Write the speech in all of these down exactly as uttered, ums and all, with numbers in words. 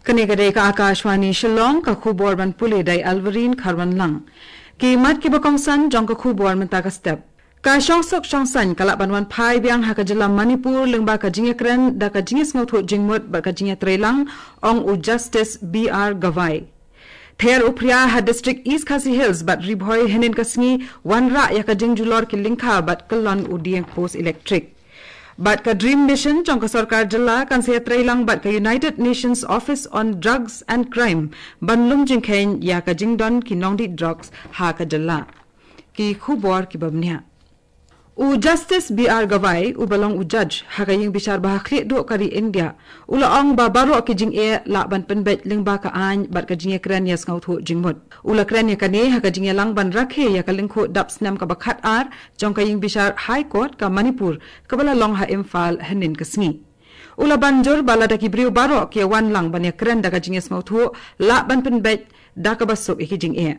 Kane ka dei ka Akashvani Shillong, ka khubor ban pule da i Alvarine Kharwanlang. Ki mat kiba kongsan jong ka khubor mynta ka step. Ka shongsuk shongsaiñ ka lah ban wan phai biang ha ka jylla Manipur lyngba ka jingïakren da ka jingïasngewthuh jingmut bad ka jingïatreilang, ong u Justice B R Gavai. Ther u phria ha District East Khasi Hills bad Ri Bhoi hynnin ka sngi, wanrah ïa ka jingjulor ki lyngkha bad kyllon u dieng post elektrik. Bad ka DREAM Mission jong ka sorkar jylla kan sa ïatreilang bad ka United Nations Office on Drugs and Crime ban lum jingkheiñ ïa ka jingdon ki nongdih drugs ha ka jylla. Ki khubor kiba bniah. U Justice B R Gavai, uba long u judge ha ka ïing bishar ba ha khlieh duh ka ri India, u la ong ba baroh ki jingeh lah ban pynbeit lyngba ka aiñ bad ka jingïakren ïasngewthuh jingmut. U la kren ïa kane ha ka jingïalang ban rakhe ïa ka lyngkhuh dap snem kaba khatar jong ka ïing bishar High Court ka Manipur, kaba la long ha Imphal hynnin ka sngi. U la ban jur ba lada ki briew baroh ki ïawan lang ban ïakren da ka jingïasngewthuh, lah ban pynbeit da kaba suk ïa ki jingeh.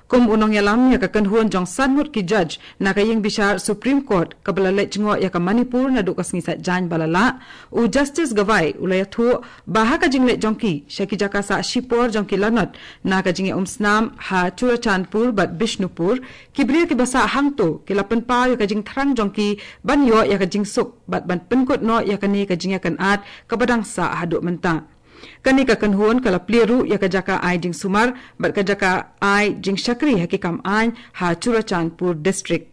Kum u nongïalam ïa ka kynhun jong san ngut ki judge na ka ïing bishar Supreme Court kaba la leit jngoh ïa ka Manipur naduh ka sngi Saitjaiñ ba la lah, u Justice Gavai u la ïathuh ba ha ka jingleit jong ki sha ki jaka sah shipor jong ki lanot na ka jingïaumsnam ha Churachandpur bad Bishnupur, ki briew kiba sah hangto ki la pynpaw ïa ka jingthrang jong ki ban ïoh ïa ka jingsuk bad ban pynkut noh ïa kane ka jingïakynad kaba dang sah haduh mynta. Kane ka kynhun ka la plie ruh ïa ka jaka ai jingsumar bad ka jaka ai jingshakri ha ki kam aiñ ha Churachandpur District.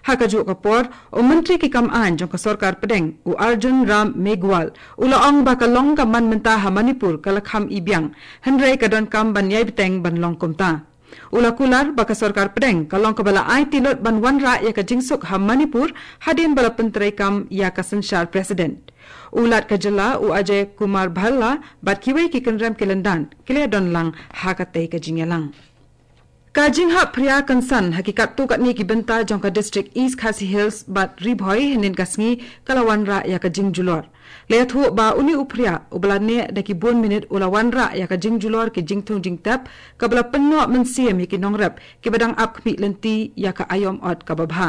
Ha kajuh ka por, u Myntri ki kam aiñ jong ka sorkar pdeng, u Arjun Ram Meghwal, u la ong ba ka long ka man mynta ha Manipur ka la kham i biang, hynrei ka donkam ban ïai bteng ban long kumta. U la kular ba ka sorkar pdeng ka long kaba la aiti lut ban wanrah ïa ka jingsuk ha Manipur hadien ba la pyntreikam ïa ka synshar president. U Lat ka jylla, u Ajay Kumar Bhalla, bad kiwei ki kynrem ki lyndan ki la ïadon lang ha katei ka jingïalang. Ka jinghap phria kynsan ha ki katto katne ki bynta jong ka District East Khasi Hills bad Ri Bhoi hynnin ka sngi ka la wanrah ïa ka jingjulor. La ïathuh ba une u phria uba la neh da ki bun minit u la wanrah ïa ka jingjulor ki jingthung jingtep, kaba la pynnoh mynsiem ïa ki nongrep kiba dang ap khmih lynti ïa ka aïom ot kaba bha.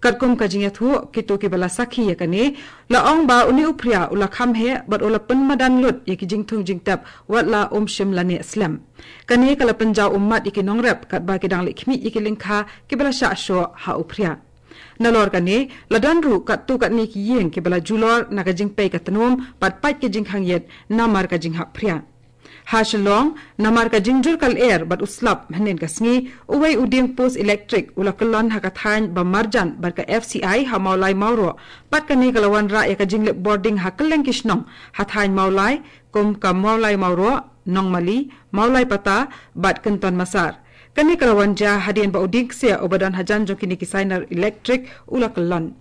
Katkum ka jingïathuh kito kiba la sakhi ïa kane, la ong ba une u phria u la kham heh bad u la pynmadan lut ïa ki jingthung jingtep wat la um shym la neh slem. Kane ka la pynjaw ummat ïa ki nongrep katba ki dang leit khmih ïa ki lyngkha kiba la shah shoh ha u phria. Nalor kane, la don ruh katto katne ki ïing kiba la julor na ka jingpei ka tnum bad pait ka jingkhang ïit namar ka jinghap phria. Ha Shillong, namar ka jingjur ka lyer bad u slap hynnin ka sngi, uwei u dieng post elektrik u la kyllon ha ka thaiñ ba marjan bad ka F C I ha Mawlai Mawroh, bad kane ka la wanrah ïa ka jinglip bording ha kylleng ki shnong ha thaiñ Mawlai, kum ka Mawlai Mawroh, Nongmali, Mawlai Pata bad Kynton Massar. Kane ka la wan jia hadien ba u dieng ksiar uba don hajan jong kine ki sainar elektrik u la kyllon.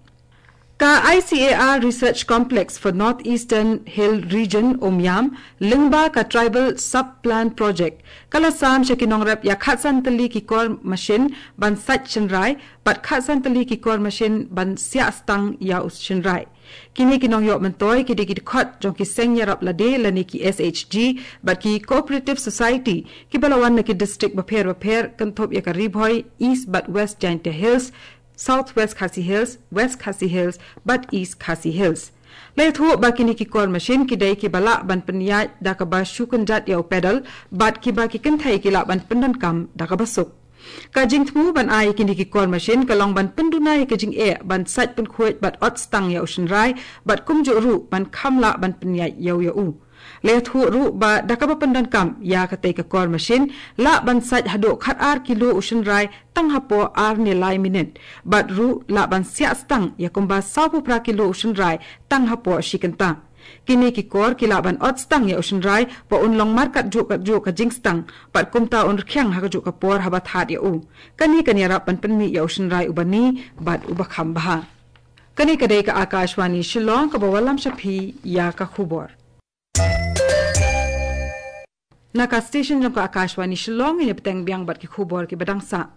Ka I C A R Research Complex for North Eastern Hill Region, Umiam, lyngba ka Tribal Sub Plan Project, ka la sam sha ki nongrep ïa khatsan tylli ki kor mashin ban sait shynrai bad khatsan tylli ki kor mashin ban siah stang ïa u shynrai. Kine ki nongïoh myntoi ki dei ki dkhot jong ki seng ïarap lade lane ki S H G bad ki cooperative society kiba la wan na ki district bapher bapher, kynthup ïa ka Ri Bhoi, East bad West Jaintia Hills, South West Khasi Hills, West Khasi Hills bad East Khasi Hills. La ïathuh ba kine ki kor mashin ki dei kiba lah ban pynïaid da kaba shu kynjat ïa u pedal bad kiba ki kynthei ki lah ban pyndonkam da kaba suk. Ka jingthmu ban ai kine ki kor mashin ka long ban pynduna ïa ka jingeh ban sait pynkhuid bad ot stang ïa u shynrai bad kumjuh ruh ban kham lah ban pynïaid ïew ïa u. La ïathuh ruh ba da kaba pyndonkam ïa katei ka kor mashin, lah ban sait haduh khatar kilo u shynrai tang hapoh ar ne lai minit, bad ruh lah ban siah stang ïa kumba sawphew phra kilo u shynrai tang hapoh shi kynta. Kine ki kor ki lah ban ot stang ïa u shynrai ba un long markat juh ka juh ka jingstang, bad kumta un rkhiang ha kajuh ka por haba thad ïa u. Kane kan ïarap ban pynmih ïa u shynrai uba ni bad uba kham bha. Kane ka dei ka Akashvani Shillong kaba wallam sha phi ïa ka khubor. Na ka station jong ka Akashvani Shillong, ngin ïa bteng biang bad ki khubor kiba dang sah.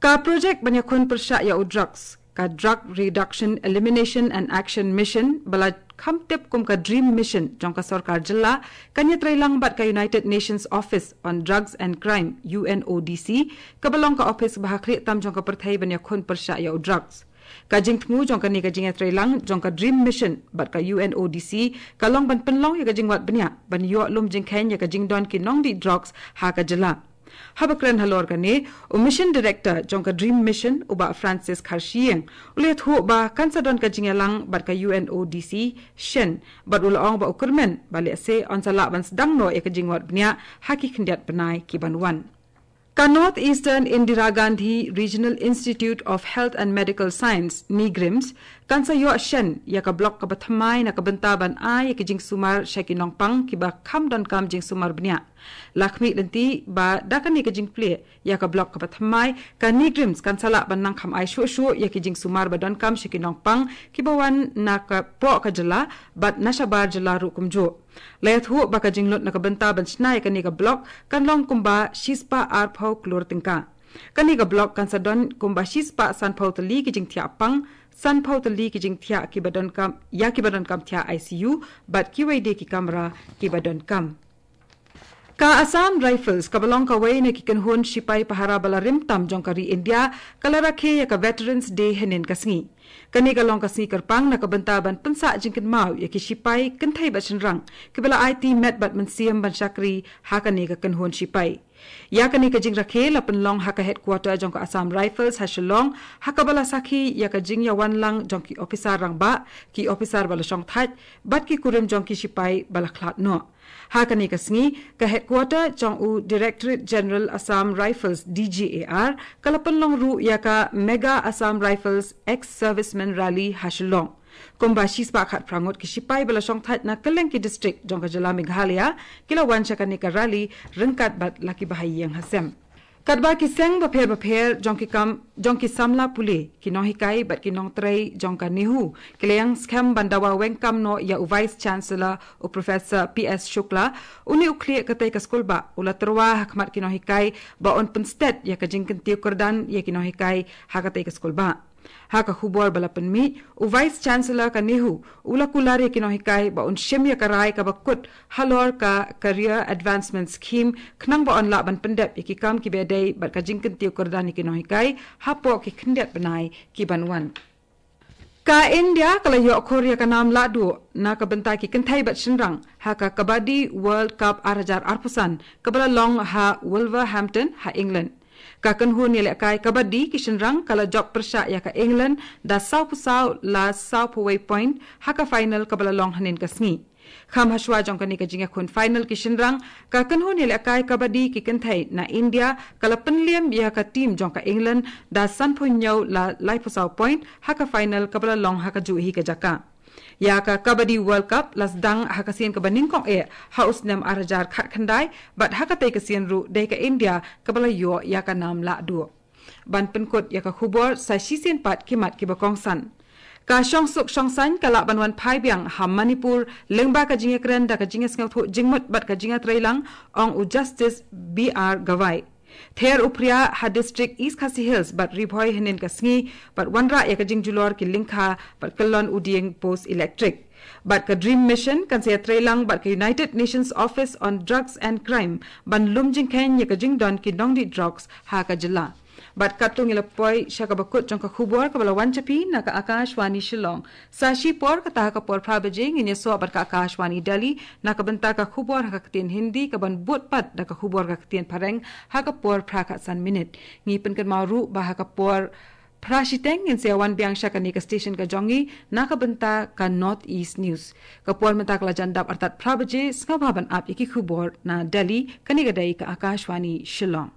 Ka project ban ïakhun pyrshah ïa u drugs, ka Drug Reduction, Elimination and Action Mission, ba la kham tip kum ka DREAM Mission jong ka sorkar jylla, kan ïatreilang bad ka United Nations Office on Drugs and Crime, U N O D C, kaba long ka ophis ba ha khlieh tam jong ka pyrthei ban ïakhun pyrshah ïa u drugs. Ka jingthmu jong kane ka jingïatreilang jong ka Dream Mission bad ka U N O D C ka long ban pynlong ïa ka jingwad bniah ban ïoh lum jingkheiñ ïa ka jingdon ki nongdih drugs ha ka jylla. Haba kren halor kane, u Mission Director jong ka Dream Mission, u Bah Francis Kharshiing, u la ïathuh ba kan sa don ka jingïalang bad ka U N O D C shen, bad u la ong ba u kyrmen ba lehse yn sa lah ban sdang noh ïa ka jingwad bniah ha ki khyndiat bnai ki ban wan. Ka North Eastern Indira Gandhi Regional Institute of Health and Medical Science, NEIGRIHMS, kan sa ïoh shen ïa ka block kaba thymmai na ka bynta ban ai ïa ki jingsumar sha ki nongpang kiba kham donkam jingsumar bniah. La khmih lynti ba da kane ka jingplie ïa ka block kaba thymmai, ka NEIGRIHMS kan sa lah ban nang kham ai shuh shuh ïa ki jingsumar ba donkam sha ki nongpang kiba wan na ka poh ka jylla bad na shabar jylla ruh kumjuh. La ïathuh ba ka jinglut na ka bynta ban shna ïa kane ka block kan long kumba shispah arphew klur tyngka. Kane ka block kan sa don kumba shispah sanphew tylli ki jingthiah pang, sanphew tylli ki jingthiah kiba donkam, ïa kiba donkam thiah I C U, bad kiwei de ki kamra kiba donkam. Ka Assam Rifles, kaba long kawei na ki kynhun shipai pahara ba la rim tam jong ka ri India, ka la rakhe ïa ka Veterans Day hynnin ka sngi. Kane ka long ka sngi kyrpang na ka bynta ban pynsah jingkynmaw ïa ki shipai, kynthei bad shynrang, kiba la aiti met bad mynsiem ban shakri ha kane ka kynhun shipai. Ïa kane ka jingrakhe la pynlong ha ka headquarter jong ka Assam Rifles ha Shillong, ha kaba la sakhi ïa ka jingïawan lang jong ki ophisar rangbah, ki ophisar ba la shongthait, bad ki kurim jong ki shipai ba la khlad noh. Ha kane ka sngi, ka headquarter jong u Directorate General Assam Rifles, D G A R, ka la pynlong ruh ïa ka Mega Assam Rifles Ex-Servicemen Rally ha Shillong. Kumba shispah khatphra ngut ki shipai ba la shongthait na kylleng ki district jong ka jylla Meghalaya, ki la wan sha kane ka rally ryngkat bad la ki bahaïing hasem. Katba ki seng bapher bapher jong ki kam, jong ki samla pule, ki nonghikai bad ki nongtrei jong ka NEHU ki la ïeng skhem ban dawa weng kam noh ïa u Vice Chancellor, u Professor P S Shukla, une u khlieh katei ka skulbah, u la tyrwa ha khmat ki nonghikai ba un pynsted ïa ka jingkyntiew kyrdan ïa ki nonghikai ha katei ka skulbah. Ha ka khubor ba la pynmih, u Vice Chancellor ka NEHU u la kular ïa ki nonghikai ba un shim ïa ka rai kaba kut halor ka Career Advancement Scheme, khnang ba yn lah ban pyndep ïa ki kam kiba dei bad ka jingkyntiew kyrdan ïa ki nonghikai hapoh ki khyndiat bnai ki ban wan. Ka India ka la ïoh khur ïa ka nam lahduh na ka bynta ki kynthei bad shynrang ha ka Kabaddi World Cup ar hajar arphew san, kaba la long ha Wolverhampton ha England. Ka kynhun ïalehkai kabaddi ki shynrang ka la jop pyrshah ïa ka England da sawphew saw la sawphew wei point ha ka final kaba la long hynnin ka sngi. Kham hashwa jong kane ka jingïakhun final ki shynrang, ka kynhun ïalehkai kabaddi ki kynthei na India ka la pynliem ïa ka team jong ka England da sanphew hynñiew la laiphew saw point ha ka final kaba la long ha kajuh hi ka jaka. Ïa ka Kabaddi World Cup la sdang ha ka sien kaba nyngkong eh ha u snem ar hajar khatkhyndai, bad ha katei ka sien ruh dei ka India kaba la ïoh ïa ka nam lahduh. Ban pynkut ïa ka khubor, sa shisien pat ki mat kiba kongsan. Ka shongsuk shongsaiñ ka lah ban wan phai biang ha Manipur lyngba ka jingïakren da ka jingïasngewthuh jingmut bad ka jingïatreilang, ong u Justice B R Gavai. Ther u phria ha district East Khasi Hills bad Ri Bhoi hynnin ka sngi, bad wanrah ïa ka jingjulor ki lyngkha bad kyllon u dieng post electric. Bad ka Dream Mission kan sa ïatreilang bad ka United Nations Office on Drugs and Crime ban lum jingkheiñ ïa ka jingdon ki nongdih drugs ha ka jylla. Bad katto ngi la poi sha kaba kut jong ka khubor kaba la wan sha phi na ka Akashvani Shillong. Sa shipor, kata ha ka por phra baje, ngin ïasoh bad ka Akashvani Delhi na ka bynta ka khubor ha ka ktien Hindi, kaban bud pat da ka khubor ka ktien Phareng ha ka por phra khatsan minit. Ngi pynkynmaw ruh ba ha ka por phra shiteng ngin sa ïawan biang sha kane ka station ka jong ngi na ka bynta ka North East News. Ka por mynta ka la jan dap artat phra baje, sngewbha ban ap ïa ki khubor na Delhi, kane ka dei ka Akashvani Shillong.